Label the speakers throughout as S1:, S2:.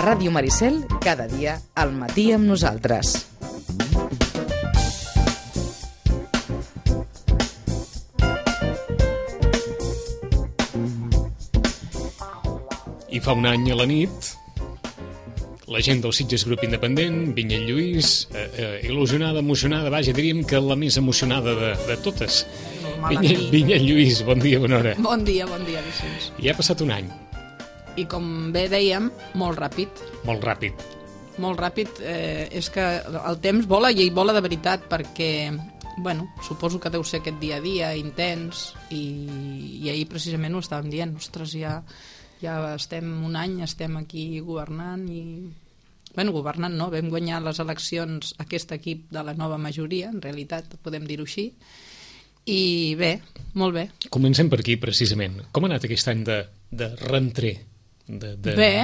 S1: Ràdio Maricel, cada dia al matí amb nosaltres.
S2: I fa un any a la nit, la gent del Sitges Grup Independent, Vinyet Lluís, il·lusionada, emocionada, vaja, diríem que la més emocionada de totes. Vinyet Lluís, bon dia, bona hora.
S3: Bon dia, Vicenç.
S2: I ha passat un any.
S3: I com bé dèiem, molt ràpid.
S2: Molt ràpid.
S3: Molt ràpid, és que el temps vola i vola de veritat, perquè, bueno, suposo que deu ser aquest dia a dia intens, i ahir precisament ho estàvem dient, ostres, ja estem un any, estem aquí governant i... Bueno, governant no, vam guanyar les eleccions aquest equip de la nova majoria, en realitat, podem dir-ho així, i bé, molt bé.
S2: Comencem per aquí, precisament. Com ha anat aquest any de reentrer de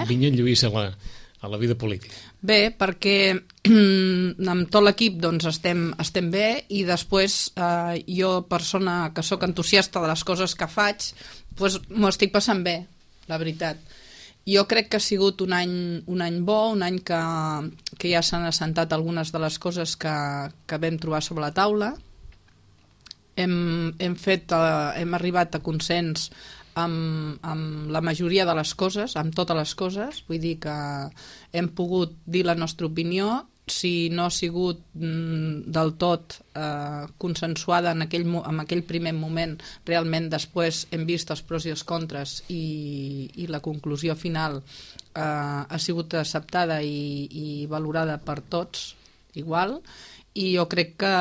S2: Vinyet Lluís a la vida política?
S3: Bé, perquè amb tot l'equip doncs, estem bé, i després jo, persona que sóc entusiasta de les coses que faig, doncs m'ho estic passant bé, la veritat. Jo crec que ha sigut un any bo, un any que ja s'han assentat algunes de les coses que vam trobar sobre la taula. Hem arribat a consens amb la majoria de les coses, amb totes les coses, vull dir que hem pogut dir la nostra opinió. Si no ha sigut del tot consensuada en aquell primer moment, realment després hem vist els pros i els contres, i la conclusió final ha sigut acceptada i valorada per tots igual, i jo crec que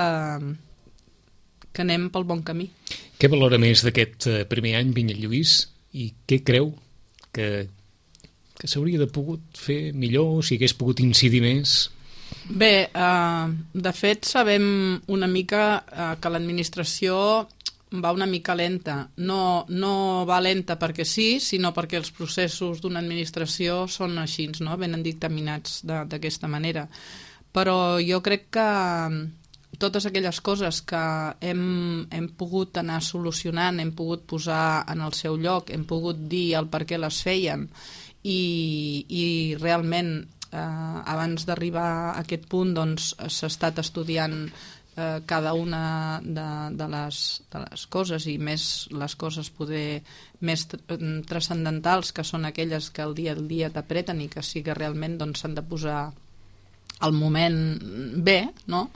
S3: anem pel bon camí.
S2: Què valora més d'aquest primer any, Vinyet Lluís, i què creu que s'hauria de pogut fer millor, si hagués pogut incidir més?
S3: Bé, de fet sabem una mica que l'administració va una mica lenta. No va lenta perquè sí, sinó perquè els processos d'una administració són així, no? Venen dictaminats d'aquesta manera. Però jo crec que totes aquelles coses que hem pogut anar solucionant, hem pogut posar en el seu lloc, hem pogut dir el per què les feien, i realment abans d'arribar a aquest punt doncs, s'ha estat estudiant cada una de les coses, i més les coses poder més transcendentals, que són aquelles que el dia a dia t'apreten i que sí que realment doncs, s'han de posar al moment bé, no?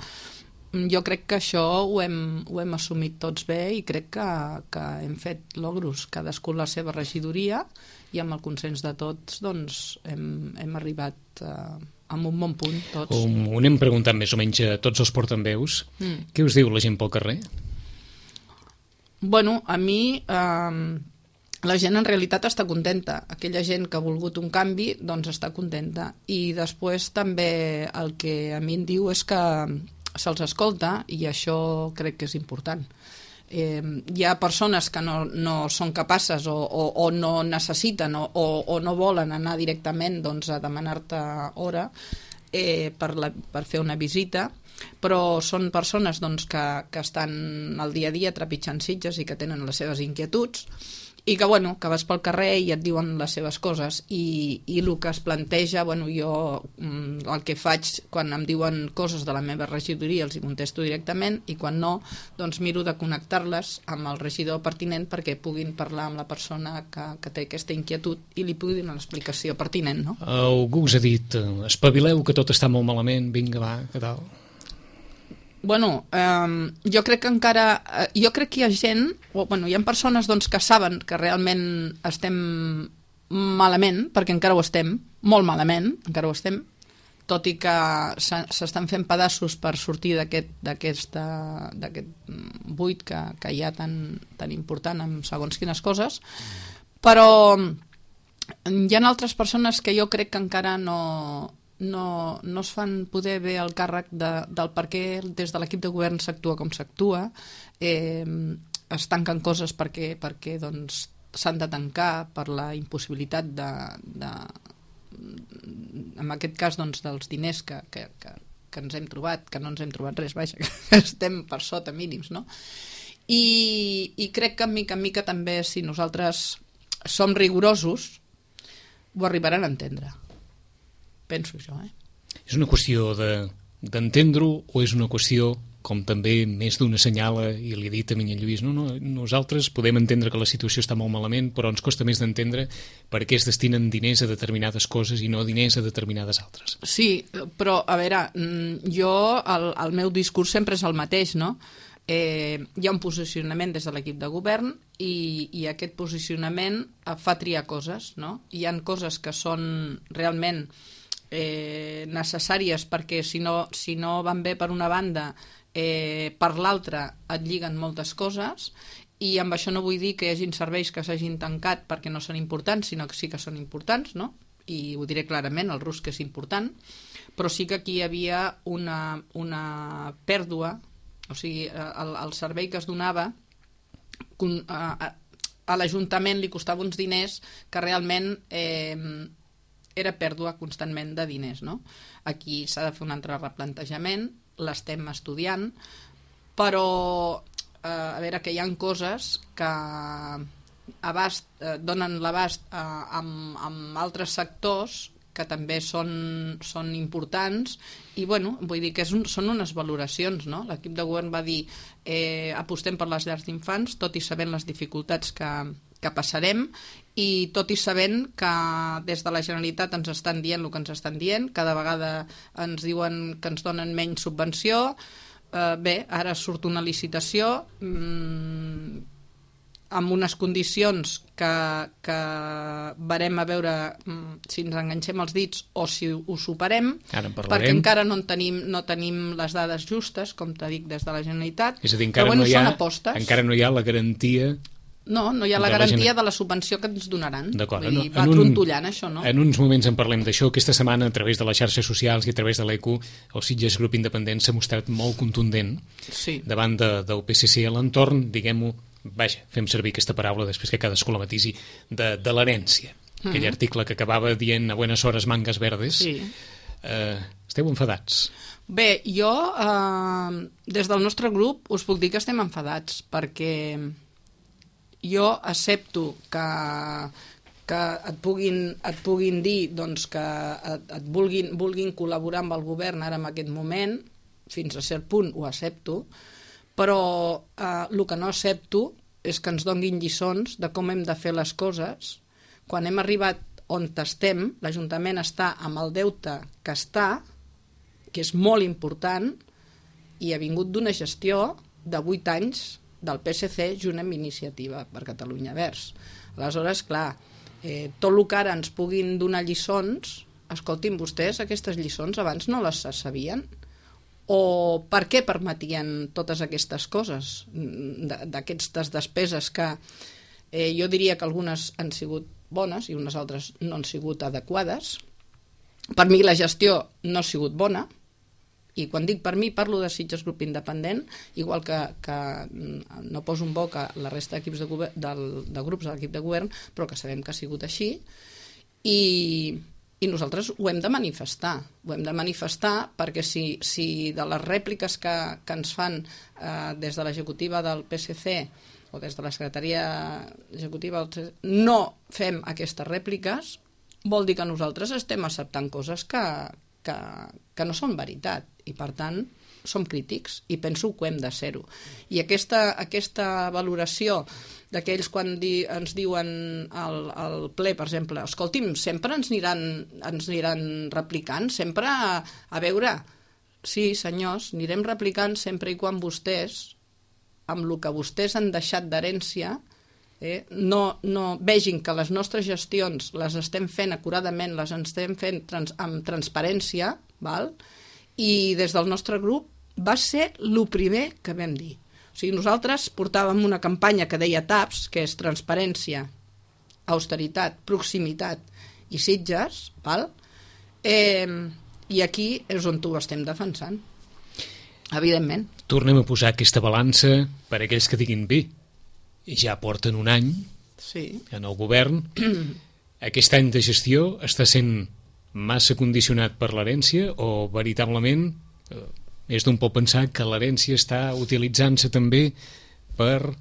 S3: Jo crec que això ho hem assumit tots bé, i crec que hem fet logros, cadascú la seva regidoria, i amb el consens de tots doncs, hem arribat a un bon punt tots.
S2: Ho anem preguntant més o menys a tots els portaveus. Què us diu la gent pel carrer?
S3: Bueno, a mi la gent en realitat està contenta. Aquella gent que ha volgut un canvi doncs està contenta, i després també el que a mi em diu és que se'ls escolta, i això crec que és important. Hi ha persones que no són capaces o no necessiten o no volen anar directament doncs, a demanar-te hora per fer una visita, però són persones doncs, que estan al dia a dia trepitjant Sitges i que tenen les seves inquietuds, i que, bueno, que vas pel carrer i et diuen les seves coses, i el que es planteja, bueno, jo el que faig quan em diuen coses de la meva regidoria els hi contesto directament, i quan no, doncs miro de connectar-les amb el regidor pertinent perquè puguin parlar amb la persona que té aquesta inquietud i li pugui donar l'explicació pertinent, no?
S2: Algú us ha dit, espavileu que tot està molt malament, vinga va, què tal?
S3: Bueno, jo crec que encara... Jo crec que hi ha gent, hi ha persones doncs, que saben que realment estem malament, perquè encara ho estem, molt malament, encara ho estem, tot i que s'estan fent pedaços per sortir d'aquest buit que hi ha tan important amb segons quines coses, però hi ha altres persones que jo crec que encara no es fan poder bé el càrrec del per què des de l'equip de govern s'actua com s'actua, es tanquen coses perquè doncs, s'han de tancar per la impossibilitat en aquest cas doncs, dels diners que ens hem trobat, que no ens hem trobat res, vaja, que estem per sota mínims, no? I crec que en mica també, si nosaltres som rigorosos, ho arribaran a entendre. penso jo.
S2: És una qüestió d'entendre-ho o és una qüestió, com també més d'una assenyala, i li he dit a Minyell Lluís, nosaltres podem entendre que la situació està molt malament, però ens costa més d'entendre per què es destinen diners a determinades coses i no diners a determinades altres.
S3: Sí, però, a veure, jo, el meu discurs sempre és el mateix, no? Hi ha un posicionament des de l'equip de govern i aquest posicionament fa triar coses, no? Hi ha coses que són realment necessàries perquè si no van bé per una banda, per l'altra et lliguen moltes coses, i amb això no vull dir que hi hagin serveis que s'hagin tancat perquè no són importants, sinó que sí que són importants, no? I ho diré clarament, el RUSC és important, però sí que aquí hi havia una pèrdua, o sigui, el servei que es donava a l'Ajuntament li costava uns diners que realment era pèrdua constantment de diners, no? Aquí s'ha de fer un altre replantejament, l'estem estudiant, però a veure, que hi ha coses que donen l'abast amb altres sectors que també són importants i, bueno, vull dir que són unes valoracions, no? L'equip de govern va dir apostem per les llars d'infants, tot i sabent les dificultats que passarem i tot i sabent que des de la Generalitat ens estan dient el que ens estan dient, cada vegada ens diuen que ens donen menys subvenció, bé, ara surt una licitació amb unes condicions que verem a veure si ens enganxem els dits o si ho superem, perquè encara no tenim les dades justes, com t'he dit, des de la Generalitat.
S2: És a dir, encara no hi ha la garantia...
S3: No hi ha la garantia de la subvenció que ens donaran.
S2: D'acord.
S3: Va trontollant això, no?
S2: En uns moments en parlem d'això. Aquesta setmana, a través de les xarxes socials i a través de l'ECU, el Sitges Grup Independent s'ha mostrat molt contundent davant del PSC a l'entorn, diguem-ho, vaja, fem servir aquesta paraula després que cadascú la matisi, de l'herència. Aquell article que acabava dient a buenas horas mangas verdes.
S3: Sí.
S2: Esteu enfadats?
S3: Bé, jo, des del nostre grup, us puc dir que estem enfadats, perquè jo accepto que et puguin dir doncs, que et vulguin col·laborar amb el govern ara en aquest moment, fins a cert punt ho accepto, però el que no accepto és que ens donguin lliçons de com hem de fer les coses. Quan hem arribat on estem, l'Ajuntament està amb el deute que està, que és molt important, i ha vingut d'una gestió de 8 anys del PSC junt amb Iniciativa per Catalunya Verds. Aleshores, clar, tot el que ara ens puguin donar lliçons, escoltin, vostès aquestes lliçons abans no les sabien? O per què permetien totes aquestes coses, d'aquestes despeses que jo diria que algunes han sigut bones i unes altres no han sigut adequades? Per mi la gestió no ha sigut bona, i quan dic per mi parlo de Sitges Grup Independent, igual que no poso en boca la resta d'equips de grups de l'equip de govern, però que sabem que ha sigut així, i nosaltres ho hem de manifestar. Ho hem de manifestar perquè si de les rèpliques que ens fan des de l'executiva del PSC o des de la secretaria executiva no fem aquestes rèpliques, vol dir que nosaltres estem acceptant coses que no són veritat, i per tant som crítics i penso que hem de ser-ho. I aquesta valoració d'aquells quan ens diuen al ple, per exemple, escolti'm, sempre ens aniran replicant, sempre a veure, sí senyors, anirem replicant sempre i quan vostès, amb el que vostès han deixat d'herència, no vegin que les nostres gestions les estem fent acuradament, les estem fent amb transparència, val? I des del nostre grup va ser el primer que vam dir. O sigui, nosaltres portàvem una campanya que deia TAPS, que és transparència, austeritat, proximitat i Sitges, val? I aquí és on ho estem defensant, evidentment.
S2: Tornem a posar aquesta balança per aquells que diguin bé. Ja porten un any en el govern. Aquest any de gestió està sent massa condicionat per l'herència o veritablement és d'on pot pensar que l'herència està utilitzant-se també per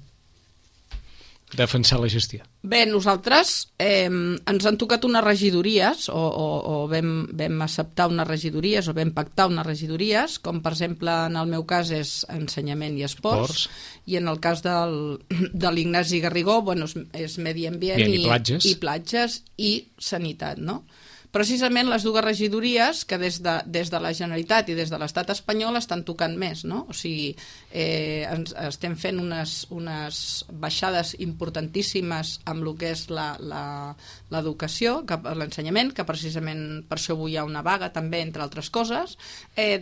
S2: defensar la gestió?
S3: Bé, nosaltres ens han tocat unes regidories o vam acceptar unes regidories o vam pactar unes regidories, com per exemple en el meu cas és ensenyament i esports. I en el cas de l'Ignasi Garrigó és medi ambient i platges i sanitat, no? Precisament les dues regidories que des de la Generalitat i des de l'Estat espanyol estan tocant més, no? O sigui, estem fent unes baixades importantíssimes amb el que és l'educació, l'ensenyament, que precisament per això avui hi ha una vaga també, entre altres coses.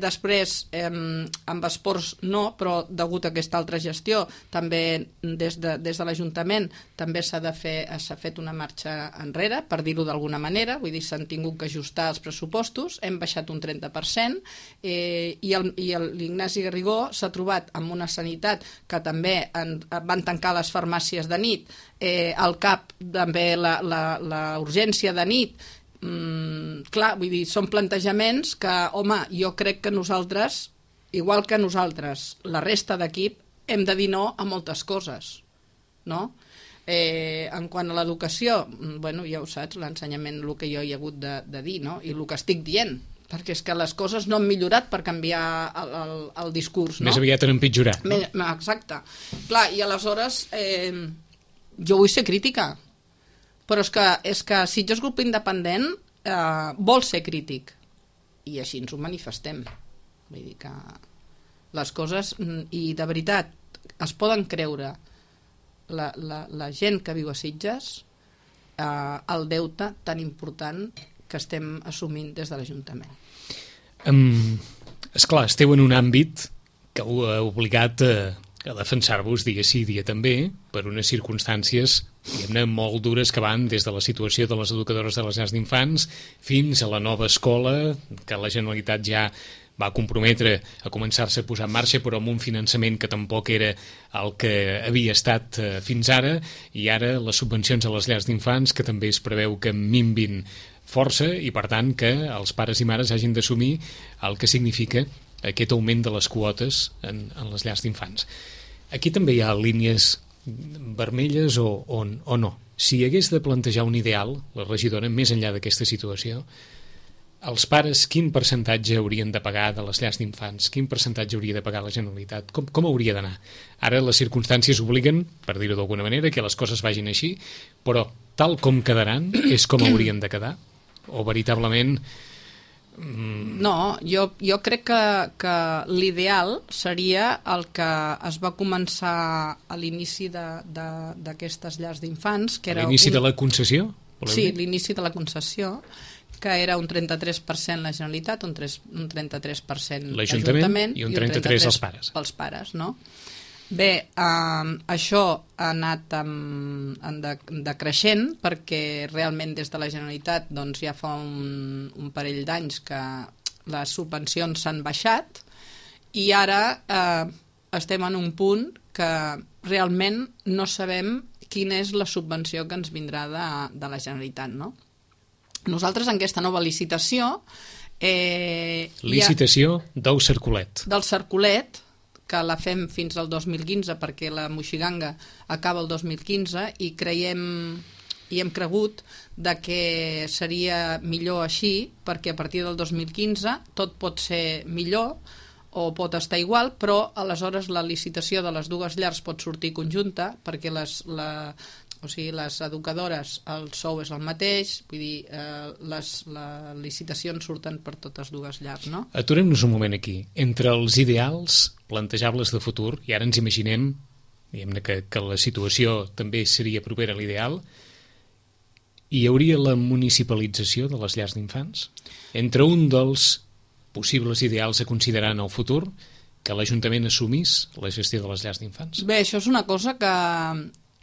S3: Després, amb esports no, però degut a aquesta altra gestió, també des de l'Ajuntament també s'ha fet una marxa enrere, per dir-ho d'alguna manera, vull dir, s'han tingut que ajustar els pressupostos, hem baixat un 30%, i l'Ignasi Garrigó s'ha trobat amb una sanitat que també van tancar les farmàcies de nit, al CAP també la urgència de nit. Clar, vull dir, són plantejaments que, home, jo crec que nosaltres, igual que nosaltres, la resta d'equip, hem de dir no a moltes coses, no? En quant a l'educació, ja ho saps, l'ensenyament, el que jo hi he hagut de dir, no? I el que estic dient, perquè és que les coses no han millorat per canviar el discurs, no?
S2: Més aviat han empitjorat.
S3: Exacte. Clar, i aleshores jo vull ser crítica, però és que Sitges Grup Independent vol ser crític, i així ens ho manifestem. Vull dir que les coses, i de veritat, es poden creure la gent que viu a Sitges el deute tan important que estem assumint des de l'Ajuntament.
S2: Esclar, esteu en un àmbit que ho ha obligat a defensar-vos dia sí, dia també, per unes circumstàncies, diguem-ne, molt dures que van des de la situació de les educadores de les llars d'infants fins a la nova escola que la Generalitat ja va comprometre a començar-se a posar en marxa, però amb un finançament que tampoc era el que havia estat fins ara, i ara les subvencions a les llars d'infants, que també es preveu que minvin força, i per tant que els pares i mares hagin d'assumir el que significa aquest augment de les quotes en les llars d'infants. Aquí també hi ha línies vermelles o no? Si hagués de plantejar un ideal, la regidora, més enllà d'aquesta situació, els pares quin percentatge haurien de pagar de les llars d'infants? Quin percentatge hauria de pagar la Generalitat? Com hauria d'anar? Ara les circumstàncies obliguen, per dir-ho d'alguna manera, que les coses vagin així, però tal com quedaran és com haurien de quedar? O veritablement...
S3: No, jo crec que l'ideal seria el que es va començar a l'inici d'aquestes llars d'infants, que era...
S2: L'inici de la concessió?
S3: Sí, l'inici de la concessió, que era un 33% la Generalitat, un 33% l'Ajuntament
S2: i un 33% els pares.
S3: Pels pares, no? Bé, això ha anat decreixent perquè realment des de la Generalitat doncs, ja fa un parell d'anys que les subvencions s'han baixat i ara estem en un punt que realment no sabem quina és la subvenció que ens vindrà de la Generalitat, no? Nosaltres en aquesta nova licitació...
S2: Licitació del Cercolet.
S3: Del Cercolet, que la fem fins al 2015 perquè la Moixiganga acaba el 2015 i creiem i hem cregut que seria millor així perquè a partir del 2015 tot pot ser millor o pot estar igual, però aleshores la licitació de les dues llars pot sortir conjunta perquè les educadores, el sou és el mateix, vull dir, les licitacions surten per totes dues llars, no?
S2: Aturem-nos un moment aquí. Entre els ideals plantejables de futur, i ara ens imaginem diguem-ne que la situació també seria propera a l'ideal, hi hauria la municipalització de les llars d'infants? Entre un dels possibles ideals a considerar en el futur, que l'Ajuntament assumís la gestió de les llars d'infants?
S3: Bé, això és una cosa que...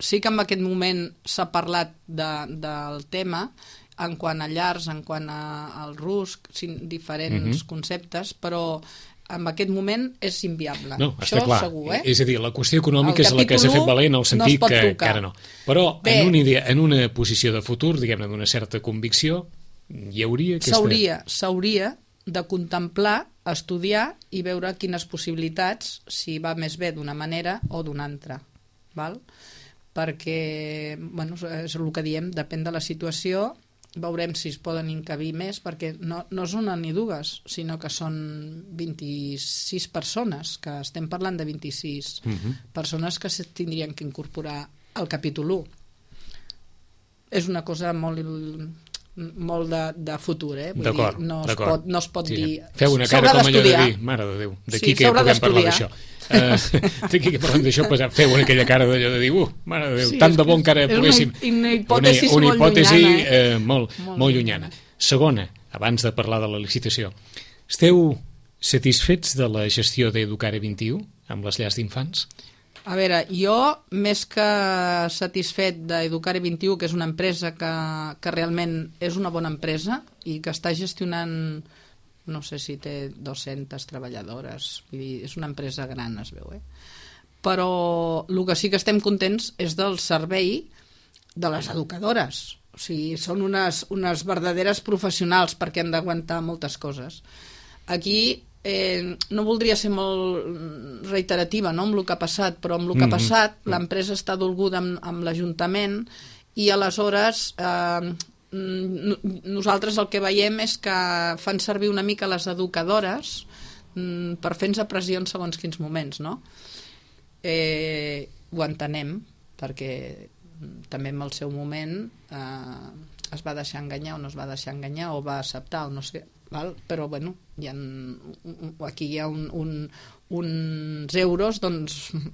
S3: Sí que en aquest moment s'ha parlat del tema en quant a llars, en quant al RUSC, diferents conceptes, però en aquest moment és inviable.
S2: No,
S3: això
S2: està clar.
S3: Segur,
S2: És a dir, la qüestió econòmica és la que s'ha fet valer en el sentit que ara no. Però en una posició de futur, diguem-ne, d'una certa convicció, hi hauria aquesta...
S3: S'hauria de contemplar, estudiar i veure quines possibilitats, si va més bé d'una manera o d'una altra. Val? perquè, bueno, és el que diem, depèn de la situació, veurem si es poden encabir més, perquè no és una ni dues, sinó que són 26 persones, que estem parlant de 26 persones que se tindrien que incorporar al capítol 1. És una cosa molt de futur, Vull
S2: d'acord,
S3: dir, no es pot dir...
S2: Feu una cara com allò de dir, mare de Déu, d'aquí que puguem parlar d'això. D'aquí que parlem d'això, feu aquella cara d'allò de dir, mare de Déu, tant de bo encara poguéssim...
S3: Una hipòtesi
S2: molt llunyana. Segona, abans de parlar de la licitació, esteu satisfets de la gestió d'Educare 21 amb les llars d'infants?
S3: A veure, jo, més que satisfet d'Educare 21, que és una empresa que realment és una bona empresa i que està gestionant, no sé si té 200 treballadores, vull dir, és una empresa gran, es veu, Però el que sí que estem contents és del servei de les educadores. O sigui, són unes verdaderes professionals perquè han d'aguantar moltes coses. Aquí no voldria ser molt reiterativa, no?, amb el que ha passat, però amb el que ha passat l'empresa està dolguda amb l'Ajuntament i aleshores nosaltres el que veiem és que fan servir una mica les educadores per fer-nos pressió en segons quins moments, no? Ho entenem, perquè també en el seu moment es va deixar enganyar o no es va deixar enganyar o va acceptar o no sé, però bueno, aquí hi ha uns euros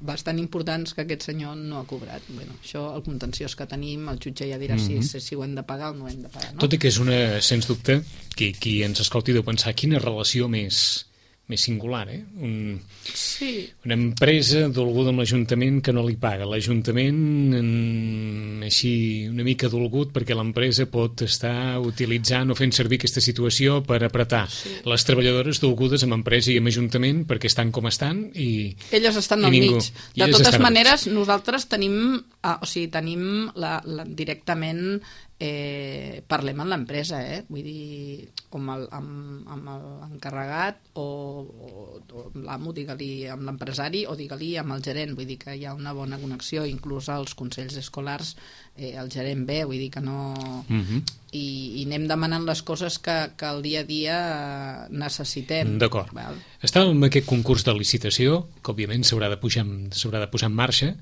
S3: bastant importants que aquest senyor no ha cobrat. Bueno, això, el contenciós que tenim, el jutge ja dirà si ho hem de pagar o no hem de pagar, no?
S2: Tot i que és una, sens dubte, qui ens escolti deu pensar quina relació més singular, Una empresa dolguda amb l'Ajuntament que no li paga. L'Ajuntament així una mica dolgut perquè l'empresa pot estar utilitzant o fent servir aquesta situació per apretar. Les treballadores dolgudes amb empresa i amb Ajuntament perquè estan com estan i
S3: elles estan al mig. De totes maneres, nosaltres tenim directament parlem amb l'empresa, vull dir, amb l'encarregat o l'amo, digue-li, amb l'empresari o digue-li amb el gerent, vull dir que hi ha una bona connexió, inclús als consells escolars el gerent ve, vull dir que no... I anem demanant les coses que al dia a dia necessitem.
S2: D'acord. Estàvem en aquest concurs de licitació, que òbviament s'haurà de posar en marxa.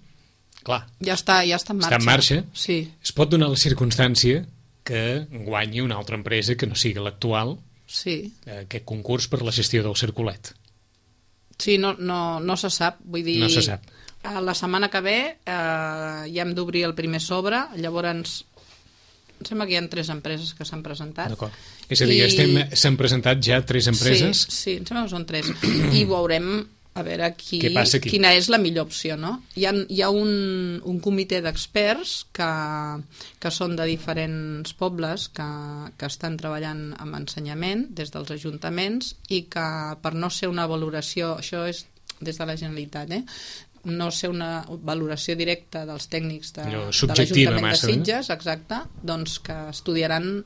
S2: Clar,
S3: ja està en marxa.
S2: Està en marxa.
S3: Sí.
S2: Es pot donar la circumstància que guanyi una altra empresa que no sigui l'actual aquest concurs per la gestió del circulet.
S3: Sí, no se sap. Vull dir,
S2: no se sap.
S3: La setmana que ve ja hem d'obrir el primer sobre, llavors em sembla que hi ha 3 empreses que s'han presentat.
S2: D'acord. És a dir, s'han presentat ja 3 empreses?
S3: Sí, em sembla que són 3. I veurem a veure quina és la millor opció, no? Hi ha un comitè d'experts que són de diferents pobles que estan treballant amb ensenyament des dels ajuntaments i que per no ser una valoració, això és des de la Generalitat, no ser una valoració directa dels tècnics de l'Ajuntament de Sitges, exacte, doncs que estudiaran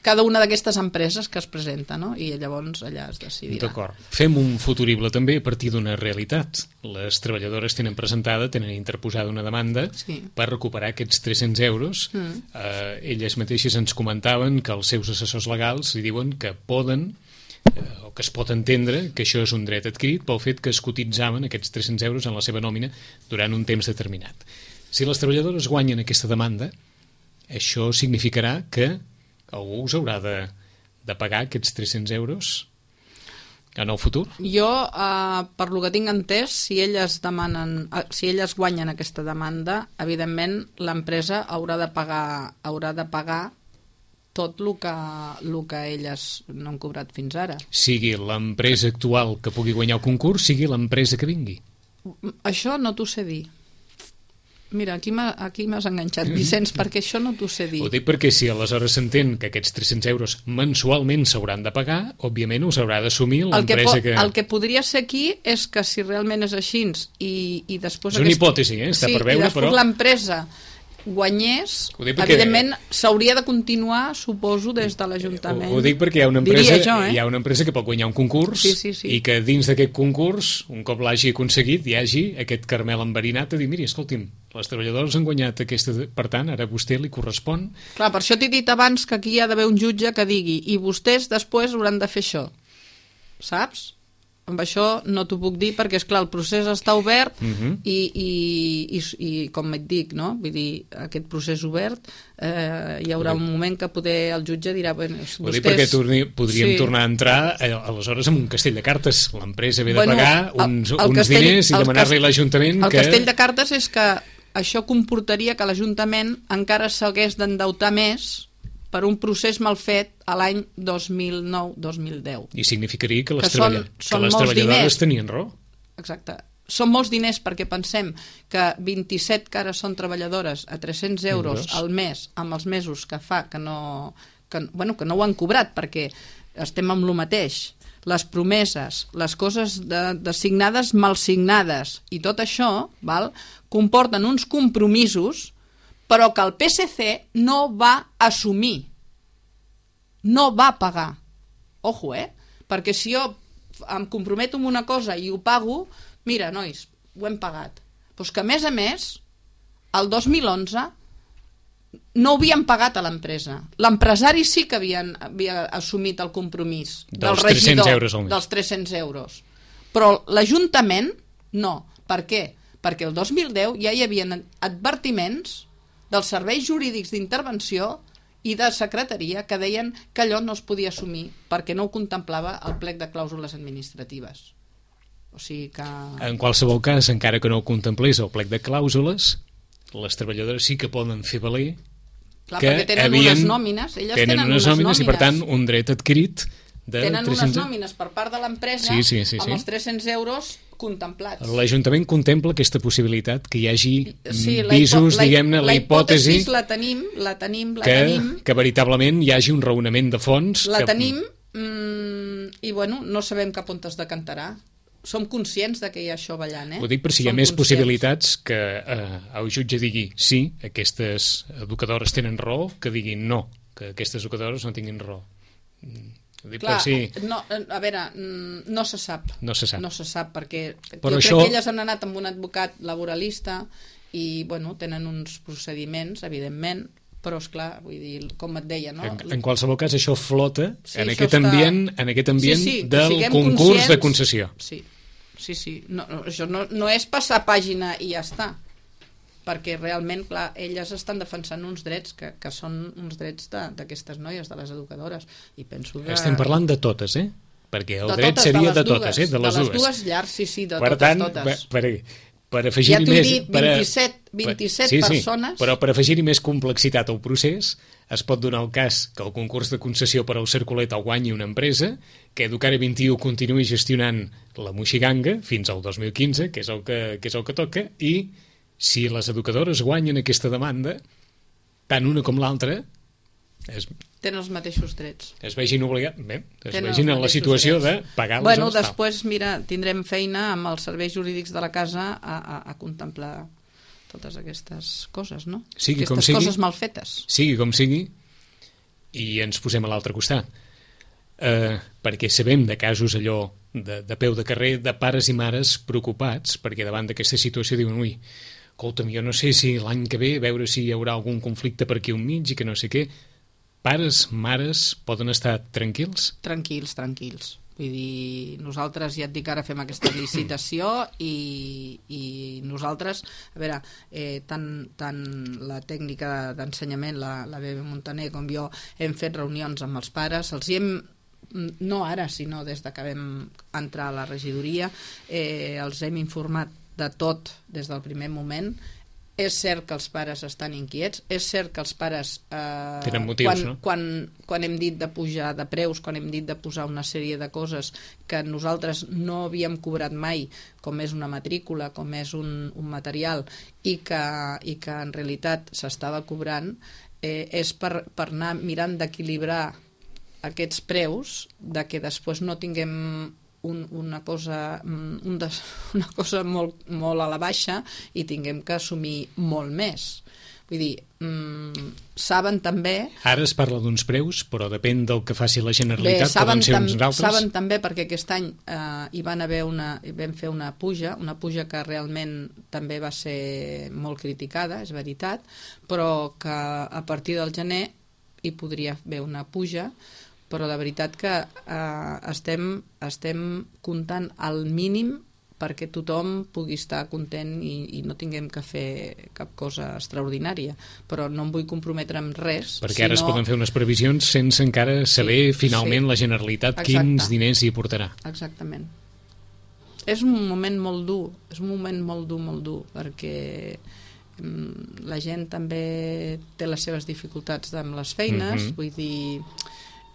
S3: cada una d'aquestes empreses que es presenta, no? I llavors allà es decidirà.
S2: D'acord. Fem un futurible també a partir d'una realitat. Les treballadores tenen interposada una demanda per recuperar aquests 300 euros. Elles mateixes ens comentaven que els seus assessors legals li diuen que poden o que es pot entendre que això és un dret adquirit pel fet que es cotitzaven aquests 300 euros en la seva nòmina durant un temps determinat. Si les treballadores guanyen aquesta demanda, això significarà que algú us haurà de pagar aquests 300 euros en el futur?
S3: Jo, per lo que tinc entès, si elles guanyen aquesta demanda, evidentment l'empresa haurà de pagar tot el que elles no han cobrat fins ara.
S2: Sigui l'empresa actual que pugui guanyar el concurs, sigui l'empresa que vingui.
S3: Això no t'ho sé dir. Mira, aquí m'has enganxat, Vicenç, perquè això no t'ho sé dir.
S2: Ho dic perquè si aleshores s'entén que aquests 300 euros mensualment s'hauran de pagar, òbviament us haurà d'assumir l'empresa que...
S3: El que podria ser aquí és que si realment és així i després...
S2: És una hipòtesi, està per veure, però...
S3: l'empresa guanyés,
S2: perquè...
S3: evidentment s'hauria de continuar, suposo, des de l'Ajuntament.
S2: Ho dic perquè hi ha una empresa que pot guanyar un concurs i que dins d'aquest concurs, un cop l'hagi aconseguit, hi hagi aquest caramel enverinat a dir, miri, escolti'm, les treballadores han guanyat aquesta... Per tant, ara a vostè li correspon...
S3: Clar, per això t'he dit abans que aquí hi ha d'haver un jutge que digui i vostès després hauran de fer això. Saps? Amb això no t'ho puc dir perquè, esclar, el procés està obert i com et dic, no? Vull dir, aquest procés obert hi haurà un moment que poder el jutge dirà... Bueno,
S2: ho dic perquè podríem tornar a entrar aleshores en un castell de cartes. L'empresa ve de pagar uns diners i demanar-li a l'Ajuntament que...
S3: El castell de cartes és que això comportaria que l'Ajuntament encara s'hagués d'endeutar més per un procés mal fet a l'any 2009-2010.
S2: I significaria que les treballadores tenien raó.
S3: Exacte. Són molts diners perquè pensem que 27 que ara són treballadores a 300 euros al mes, amb els mesos que fa que no ho han cobrat perquè estem amb lo mateix. Les promeses, les coses designades mal signades i tot això comporten uns compromisos però que el PSC no va assumir, no va pagar. Ojo, perquè si jo em comprometo amb una cosa i ho pago, mira, nois, ho hem pagat. Doncs que, a més, el 2011 no ho havien pagat a l'empresa. L'empresari sí que havia assumit el compromís del regidor dels 300 euros. Però l'Ajuntament no. Per què? Perquè el 2010 ja hi havia advertiments dels serveis jurídics d'intervenció i de secretaria que deien que allò no es podia assumir perquè no ho contemplava el plec de clàusules administratives. O sigui que...
S2: En qualsevol cas, encara que no ho contemplés el plec de clàusules, les treballadores sí que poden fer valer
S3: perquè tenen unes nòmines, elles tenen unes nòmines
S2: i per tant un dret adquirit de
S3: tenen 300... unes nòmines per part de l'empresa amb els 300 euros contemplats.
S2: L'Ajuntament contempla aquesta possibilitat que hi hagi visos, diguem-ne, la hipòtesi
S3: la tenim,
S2: que veritablement hi hagi un raonament de fons.
S3: La tenim i no sabem cap on es decantarà. Som conscients de que hi ha això ballant,
S2: Ho dic per si hi ha més possibilitats que el jutge digui sí, aquestes educadores tenen raó, que diguin no, que aquestes educadores no tinguin raó.
S3: Clar, a veure, no se sap. No se sap perquè
S2: però
S3: jo crec que elles han anat amb un advocat laboralista i tenen uns procediments, evidentment, però esclar, vull dir, com et deia, no?
S2: En qualsevol cas això flota en aquest ambient del concurs de concessió.
S3: Sí. Això no és passar pàgina i ja està, perquè realment, clar, elles estan defensant uns drets que són uns drets d'aquestes noies, de les educadores, i penso que...
S2: Estem parlant de totes, perquè el dret seria de totes, de les dues.
S3: De les dues llars, sí, de
S2: per
S3: totes.
S2: Per afegir-hi més...
S3: Ja t'ho he dit, 27 persones...
S2: Però per afegir-hi més complexitat al procés, es pot donar el cas que el concurs de concessió per al Cercolet el guanyi una empresa, que Educare 21 continuï gestionant la Moixiganga fins al 2015, que és el que toca, i si les educadores guanyen aquesta demanda, tant una com l'altra
S3: tenen els mateixos drets.
S2: Es vegin en la situació de pagar les
S3: després, mira, tindrem feina amb els serveis jurídics de la casa a contemplar totes aquestes coses, no? Coses mal fetes.
S2: Sigui com sigui, i ens posem a l'altre costat. Perquè sabem de casos allò de peu de carrer, de pares i mares preocupats, perquè davant d'aquesta situació diuen, ui, escolta'm, jo no sé si l'any que ve, a veure si hi haurà algun conflicte per aquí al mig i que no sé què. Pares, mares, poden estar tranquils?
S3: Tranquils. Vull dir, nosaltres ja et dic, ara fem aquesta licitació i nosaltres, a veure, tant la tècnica d'ensenyament, la Bebe Montaner, com jo, hem fet reunions amb els pares, els hi hem, no ara, sinó des que vam entrar a la regidoria, els hem informat de tot des del primer moment. És cert que els pares estan inquiets, és cert que els pares
S2: tenen motius,
S3: quan hem dit de pujar de preus, quan hem dit de posar una sèrie de coses que nosaltres no havíem cobrat mai, com és una matrícula, com és un material, i que en realitat s'estava cobrant, és per anar mirant d'equilibrar aquests preus, de que després no tinguem una cosa molt a la baixa i tinguem que assumir molt més. Vull dir, saben també...
S2: Ara es parla d'uns preus, però depèn del que faci la Generalitat, poden ser uns altres.
S3: Saben també perquè aquest any vam fer una puja que realment també va ser molt criticada, és veritat, però que a partir del gener hi podria haver una puja, però la veritat que estem comptant al mínim perquè tothom pugui estar content i no tinguem que fer cap cosa extraordinària, però no em vull comprometre amb res.
S2: Perquè ara es poden fer unes previsions sense encara saber finalment la Generalitat quins diners hi portarà.
S3: Exactament. És un moment molt dur, molt dur, perquè la gent també té les seves dificultats amb les feines, vull dir,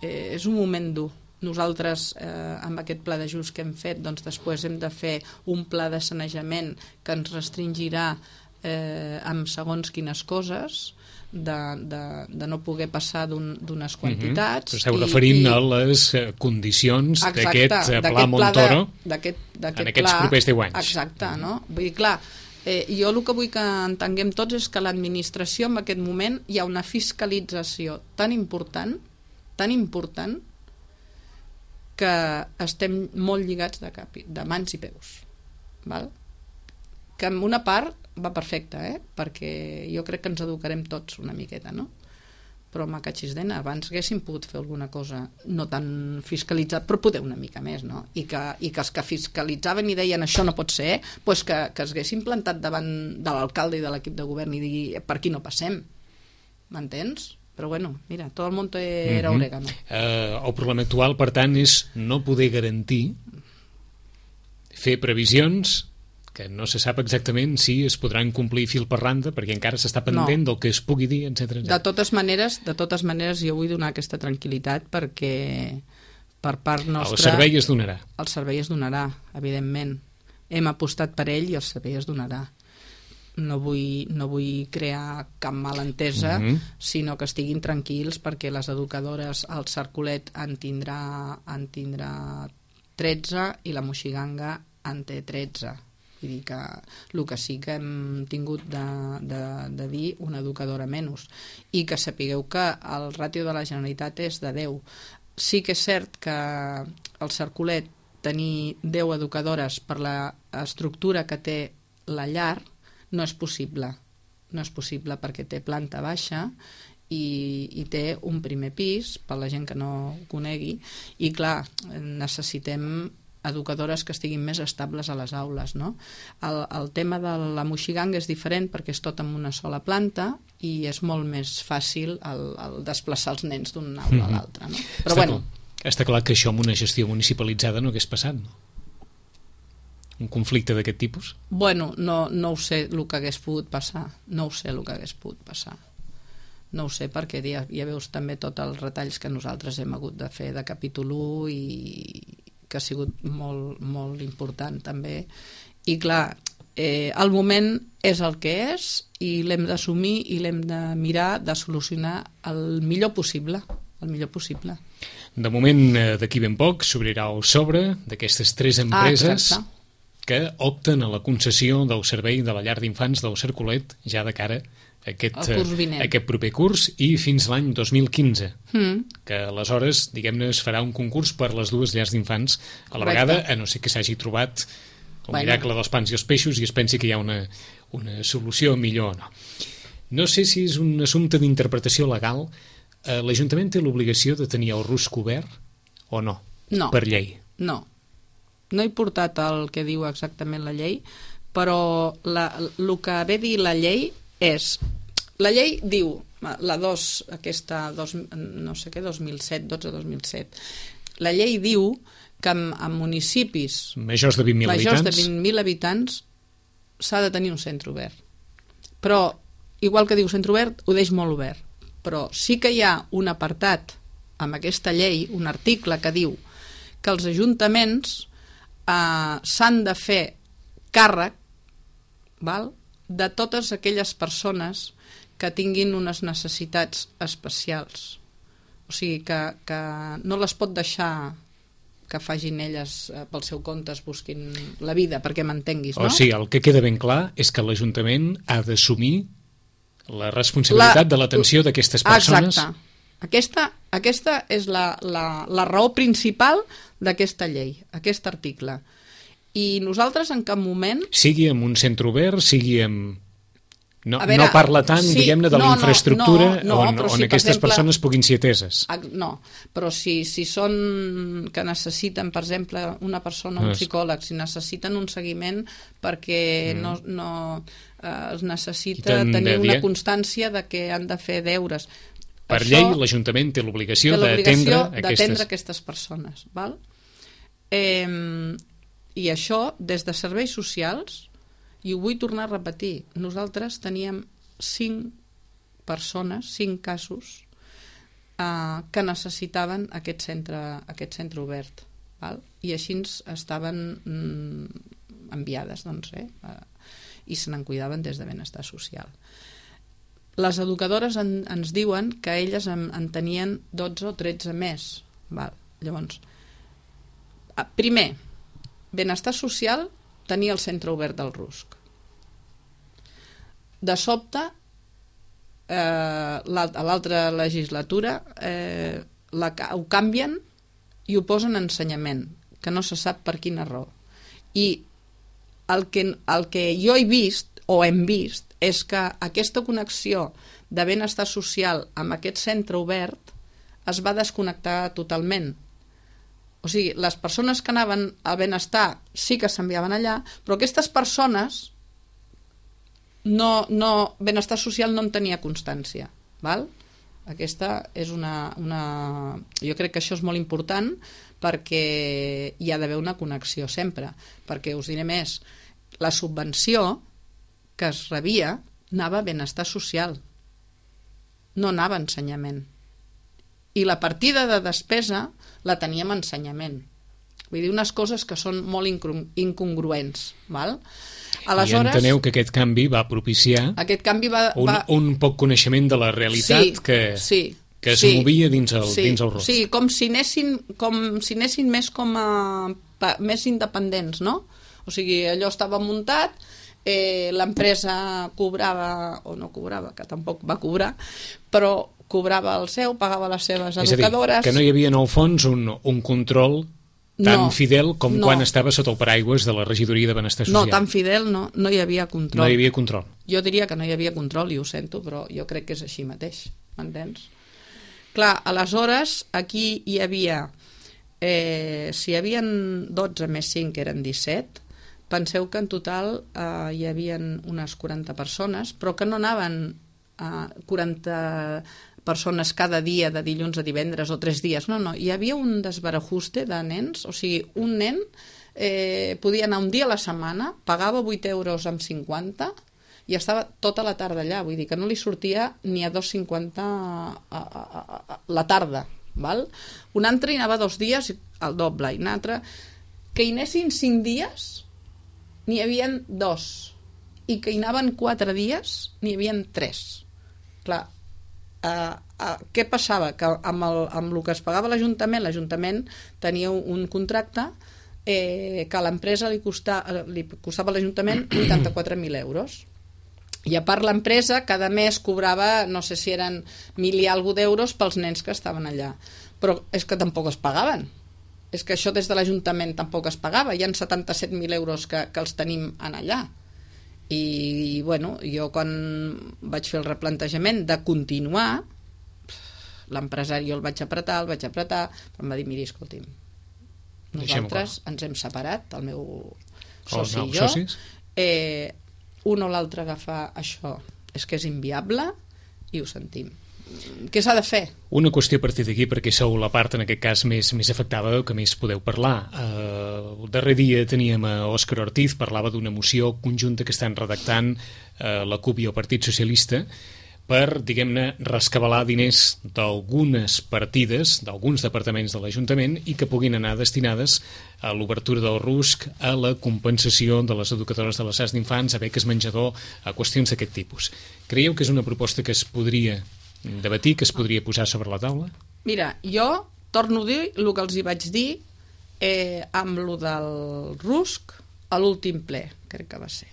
S3: és un moment dur. Nosaltres, amb aquest pla d'ajust que hem fet, doncs després hem de fer un pla de sanejament que ens restringirà amb segons quines coses, de no poder passar d'unes quantitats.
S2: Esteu referint a les condicions d'aquest pla Montoro en aquests propers 10 anys.
S3: Exacte, no? Vull dir, clar, jo el que vull que entenguem tots és que l'administració en aquest moment hi ha una fiscalització tan important que estem molt lligats de mans i peus, val? Que en una part va perfecte, perquè jo crec que ens educarem tots una miqueta, no? Però macatxisdena, abans haguéssim pogut fer alguna cosa no tan fiscalitzat, però poder una mica més, no? I que els que fiscalitzaven i deien això no pot ser, doncs que es haguessin plantat davant de l'alcalde i de l'equip de govern i dir per aquí no passem, m'entens? Però bueno, mira, tot el món era orégano.
S2: El problema actual, per tant, és no poder garantir fer previsions que no se sap exactament si es podran complir fil per randa, perquè encara s'està pendent del que es pugui dir, etc.
S3: De totes maneres, jo vull donar aquesta tranquil·litat perquè per part nostra...
S2: El servei es donarà.
S3: El servei es donarà, evidentment. Hem apostat per ell i el servei es donarà. No vull crear cap malentesa, sinó que estiguin tranquils perquè les educadores al Cercolet en tindrà 13 i la Moixiganga en té 13. Vull dir que el que sí que hem tingut de dir una educadora menys, i que sapigueu que el ràtio de la Generalitat és de 10. Sí que és cert que al Cercolet tenir 10 educadores per l'estructura que té la llar no és possible perquè té planta baixa i té un primer pis, per la gent que no ho conegui, i clar, necessitem educadores que estiguin més estables a les aules, no? El tema de la Moixiganga és diferent perquè és tot en una sola planta i és molt més fàcil el desplaçar els nens d'una aula a l'altra, no? Però
S2: està clar que això amb una gestió municipalitzada no hagués passat, no? Un conflicte d'aquest tipus?
S3: Bueno, no ho sé el que hagués pogut passar. No ho sé perquè ja veus també tots els retalls que nosaltres hem hagut de fer de capítol 1 i que ha sigut molt, molt important també. I clar, el moment és el que és i l'hem d'assumir i l'hem de mirar de solucionar el millor possible.
S2: De moment, d'aquí ben poc, s'obrirà el sobre d'aquestes 3 empreses que opten a la concessió del servei de la llar d'infants del Cercolet ja de cara a aquest proper curs i fins l'any 2015, que aleshores, diguem-ne, es farà un concurs per les 2 llars d'infants a la vegada, a no ser que s'hagi trobat el miracle dels pans i els peixos i es pensi que hi ha una solució millor o no. No sé si és un assumpte d'interpretació legal. L'Ajuntament té l'obligació de tenir el RUS cobert o no?
S3: No.
S2: Per llei?
S3: No he portat el que diu exactament la llei, però el que ve a dir la llei és... La llei diu, la 2, aquesta, no sé què, 2007, 12-2007, la llei diu que en municipis
S2: majors de 20.000
S3: habitants s'ha de tenir un centre obert. Però, igual que diu centre obert, ho deix molt obert. Però sí que hi ha un apartat amb aquesta llei, un article que diu que els ajuntaments s'han de fer càrrec, val?, de totes aquelles persones que tinguin unes necessitats especials. O sigui, que no les pot deixar que facin elles pel seu compte, es busquin la vida, perquè m'entenguis, no?
S2: O sigui, el que queda ben clar és que l'Ajuntament ha d'assumir La responsabilitat de l'atenció d'aquestes persones.
S3: Exacte. Aquesta és la raó principal d'aquesta llei, aquest article. I nosaltres en cap moment...
S2: Sigui en un centre obert, sigui en... No parla tant, diguem-ne, de la infraestructura on aquestes persones puguin ser ateses.
S3: No, però si són que necessiten, per exemple, una persona, un psicòleg, si necessiten un seguiment perquè es necessita tenir una constància de que han de fer deures.
S2: Per llei, l'Ajuntament té l'obligació d'atendre
S3: aquestes persones. Val? I això, des de serveis socials, i ho vull tornar a repetir, nosaltres teníem 5 persones, 5 casos que necessitaven aquest centre obert, val? I així estaven enviades, doncs, i se n'en cuidaven des de benestar social. Les educadores ens diuen que elles en tenien 12 o 13 més. Val? Llavors, primer, benestar social tenia el centre obert del RUSC. De sobte, a l'altra legislatura ho canvien i ho posen en ensenyament, que no se sap per quina raó. I el que jo he vist, o hem vist, és que aquesta connexió de benestar social amb aquest centre obert es va desconnectar totalment. O sigui, les persones que anaven al benestar sí que s'enviaven allà, però aquestes persones benestar social no en tenia constància. Val? Aquesta és jo crec que això és molt important perquè hi ha d'haver una connexió sempre, perquè us diré més, la subvenció que es rebia anava a benestar social, no anava a ensenyament. I la partida de despesa la teníem a ensenyament. Vull dir, unes coses que són molt incongruents. Val? Aleshores,
S2: i enteneu que aquest canvi va propiciar un poc coneixement de la realitat que es movia dins el RUSC.
S3: Sí, com si anessin més més independents, no? O sigui, allò estava muntat, l'empresa cobrava, o no cobrava, que tampoc va cobrar, però cobrava el seu, pagava les seves educadores...
S2: És a dir, que no hi havia en el fons un control tan fidel com quan estava sota el paraigües de la regidoria de benestar social.
S3: No, tan fidel no hi havia control.
S2: No hi havia control.
S3: Jo diria que no hi havia control, i ho sento, però jo crec que és així mateix, m'entens? Clar, aleshores, aquí hi havia... si hi havia 12 més 5, que eren 17, penseu que en total hi havia unes 40 persones, però que no anaven 40 persones cada dia, de dilluns a divendres o 3 dies, no, hi havia un desbarajuste de nens, o sigui, un nen podia anar un dia a la setmana, pagava 8 euros amb 50 i estava tota la tarda allà, vull dir que no li sortia ni a 2,50 la tarda, val? Un altre hi anava 2 dies, el doble, i un altre que hi anessin 5 dies n'hi havia 2, i que hi anaven 4 dies n'hi havia 3. Clar, què passava? Que amb el que es pagava l'Ajuntament tenia un contracte que a l'empresa li costava a l'Ajuntament 84.000 euros. I a part l'empresa cada mes cobrava, no sé si eren 1.000 i alguna d'euros pels nens que estaven allà. Però és que tampoc es pagaven. És que això des de l'Ajuntament tampoc es pagava. Hi ha 77.000 euros que els tenim en allà. I bueno, jo quan vaig fer el replantejament de continuar, l'empresari jo el vaig apretar, però em va dir, miri, escolti'm, nosaltres ens hem separat, el meu soci i jo, un o l'altre agafar això és que és inviable i ho sentim. Què s'ha de fer?
S2: Una qüestió a partir d'aquí, perquè sou la part en aquest cas més afectada, que més podeu parlar. El darrer dia teníem a Òscar Ortiz, parlava d'una moció conjunta que estan redactant la CUP i el Partit Socialista per, diguem-ne, rescabalar diners d'algunes partides, d'alguns departaments de l'Ajuntament i que puguin anar destinades a l'obertura del RUSC, a la compensació de les educadores de les llars d'infants, a beques menjador, a qüestions d'aquest tipus. Creieu que és una proposta que es podria debatir, que es podria posar sobre la taula?
S3: Mira, jo torno a dir el que els hi vaig dir amb el del RUSC a l'últim ple, crec que va ser.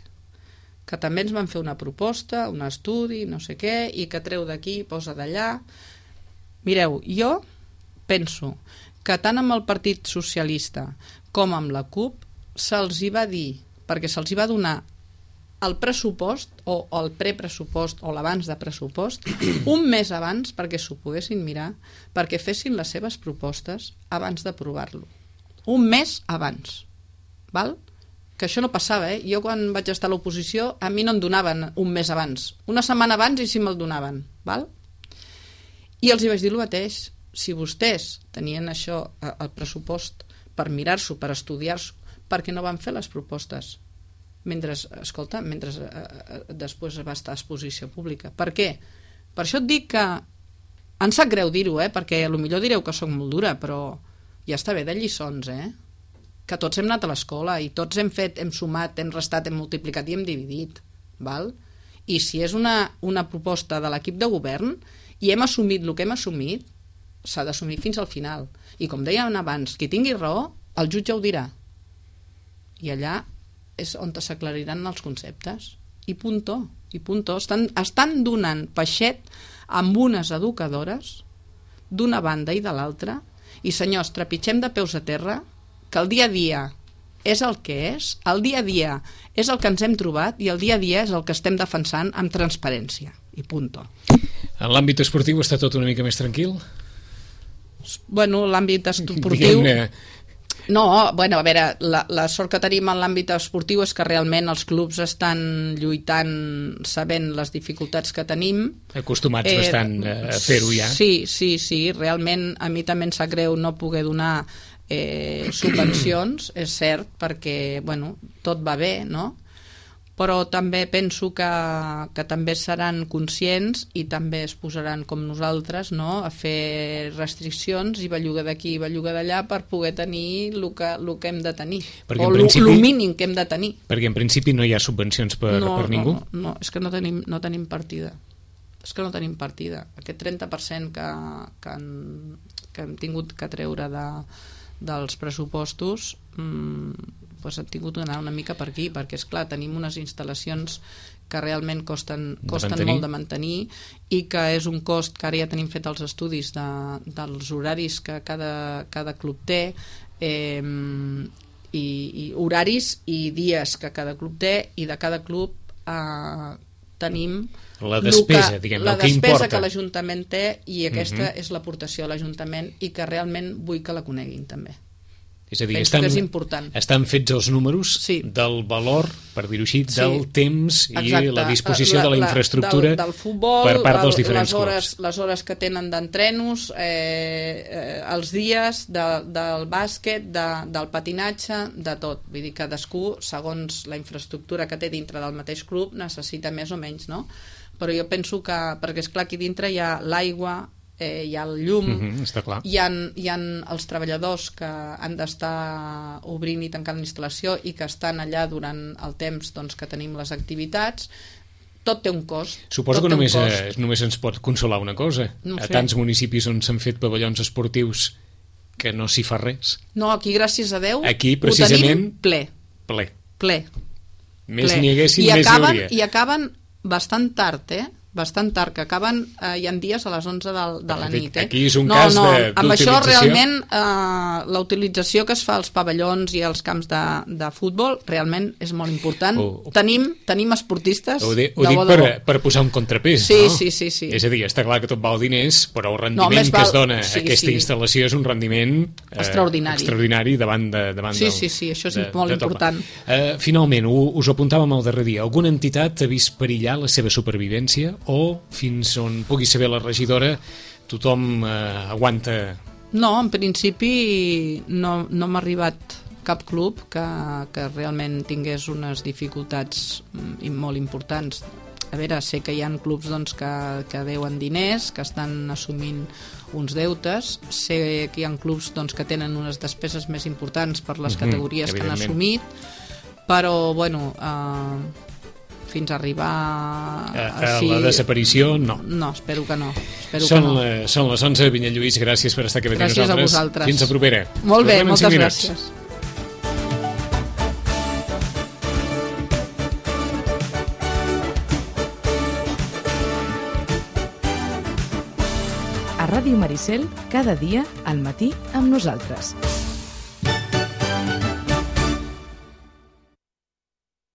S3: que també ens van fer una proposta, un estudi, no sé què, i que treu d'aquí, posa d'allà. Mireu, jo penso que tant amb el Partit Socialista com amb la CUP se'ls hi va dir, perquè se'ls hi va donar el pressupost o el prepressupost o l'abans de pressupost un mes abans perquè s'ho poguessin mirar, perquè fessin les seves propostes abans d'aprovar-lo. Un mes abans. Val? Que això no passava, Jo quan vaig estar a l'oposició a mi no em donaven un mes abans. Una setmana abans i sí me'l donaven. Val? I els hi vaig dir el mateix. Si vostès tenien això, el pressupost, per mirar-s'ho, per estudiar-s'ho, per què no van fer les propostes? Mentre després va estar a exposició pública. Per què? Per això et dic que em sap greu dir-ho, perquè potser direu que sóc molt dura, però ja està bé de lliçons, que tots hem anat a l'escola i tots hem fet, hem sumat, hem restat, hem multiplicat i hem dividit, val? I si és una proposta de l'equip de govern i hem assumit el que hem assumit, s'ha d'assumir fins al final. I com dèiem abans, qui tingui raó, el jutge ho dirà. I allà és on s'aclariran els conceptes. I punto. Estan donant peixet amb unes educadores d'una banda i de l'altra, i senyors, trepitgem de peus a terra, que el dia a dia és el que és, el dia a dia és el que ens hem trobat i el dia a dia és el que estem defensant amb transparència. I punto.
S2: En l'àmbit esportiu està tot una mica més tranquil?
S3: Bueno, l'àmbit esportiu... No, bueno, a veure, la sort que tenim en l'àmbit esportiu és que realment els clubs estan lluitant sabent les dificultats que tenim.
S2: Acostumats bastant a fer-ho ja.
S3: Sí, realment a mi també em sap greu no poder donar subvencions, és cert, perquè bueno, tot va bé, no? Però també penso que també seran conscients i també es posaran com nosaltres, no?, a fer restriccions i belluga d'aquí i belluga d'allà per poder tenir el que hem de tenir, o el mínim que hem de tenir.
S2: Perquè en principi no hi ha subvencions per ningú?
S3: No, és que no tenim partida. És que no tenim partida. Aquest 30% que hem tingut que treure dels pressupostos doncs hem tingut d'anar una mica per aquí, perquè és clar, tenim unes instal·lacions que realment costen molt de mantenir i que és un cost que ara ja tenim fet els estudis dels horaris que cada club té, i horaris i dies que cada club té, i de cada club tenim
S2: la despesa,
S3: la despesa que l'Ajuntament té, i aquesta és l'aportació de l'Ajuntament i que realment vull que la coneguin també.
S2: És a dir,
S3: estan
S2: fets els números del valor, per dir-ho així, del temps i la disposició de la infraestructura
S3: del futbol,
S2: per part dels diferents clubs.
S3: Les hores que tenen d'entrenos, els dies del bàsquet, del patinatge, de tot. Vull dir, cadascú, segons la infraestructura que té dintre del mateix club, necessita més o menys, no? Però jo penso que, perquè és clar, aquí dintre hi ha l'aigua, hi ha el llum,
S2: està clar.
S3: hi ha els treballadors que han d'estar obrint i tancant l'instal·lació i que estan allà durant el temps que tenim les activitats. Tot té un cost.
S2: Suposo que només ens pot consolar una cosa. A tants municipis on s'han fet pavellons esportius que no s'hi fa res.
S3: No, aquí, gràcies a Déu,
S2: aquí, precisament,
S3: ho tenim ple.
S2: Més n'hi haguessin, més hi hauria.
S3: I acaben bastant tard, bastant tard, que acaben, hi ha dies a les 11 de la nit.
S2: Aquí és un cas d'utilització.
S3: Amb això realment la utilització que es fa als pavellons i als camps de futbol realment és molt important. Tenim esportistes
S2: ho dic per posar un contrapès, no?
S3: Sí.
S2: És a dir, està clar que tot val diners, però el rendiment que es dona a aquesta instal·lació és un rendiment extraordinari davant
S3: Sí, això és molt important.
S2: Finalment, us ho apuntàvem el darrer dia, alguna entitat ha vist perillar la seva supervivència o fins on pugui saber la regidora tothom aguanta?
S3: No, en principi no m'ha arribat cap club que realment tingués unes dificultats molt importants. A veure, sé que hi ha clubs que deuen diners, que estan assumint uns deutes, sé que hi ha clubs que tenen unes despeses més importants per les categories que han assumit, però bueno, fins a arribar
S2: a la desaparició, no.
S3: No, espero que no.
S2: Són les 11, Vinyet Lluís, gràcies per estar aquí amb nosaltres.
S3: Gràcies a vosaltres.
S2: Fins a propera.
S3: Molt bé, moltes gràcies.
S1: Ràdio Maricel, cada dia al matí amb nosaltres.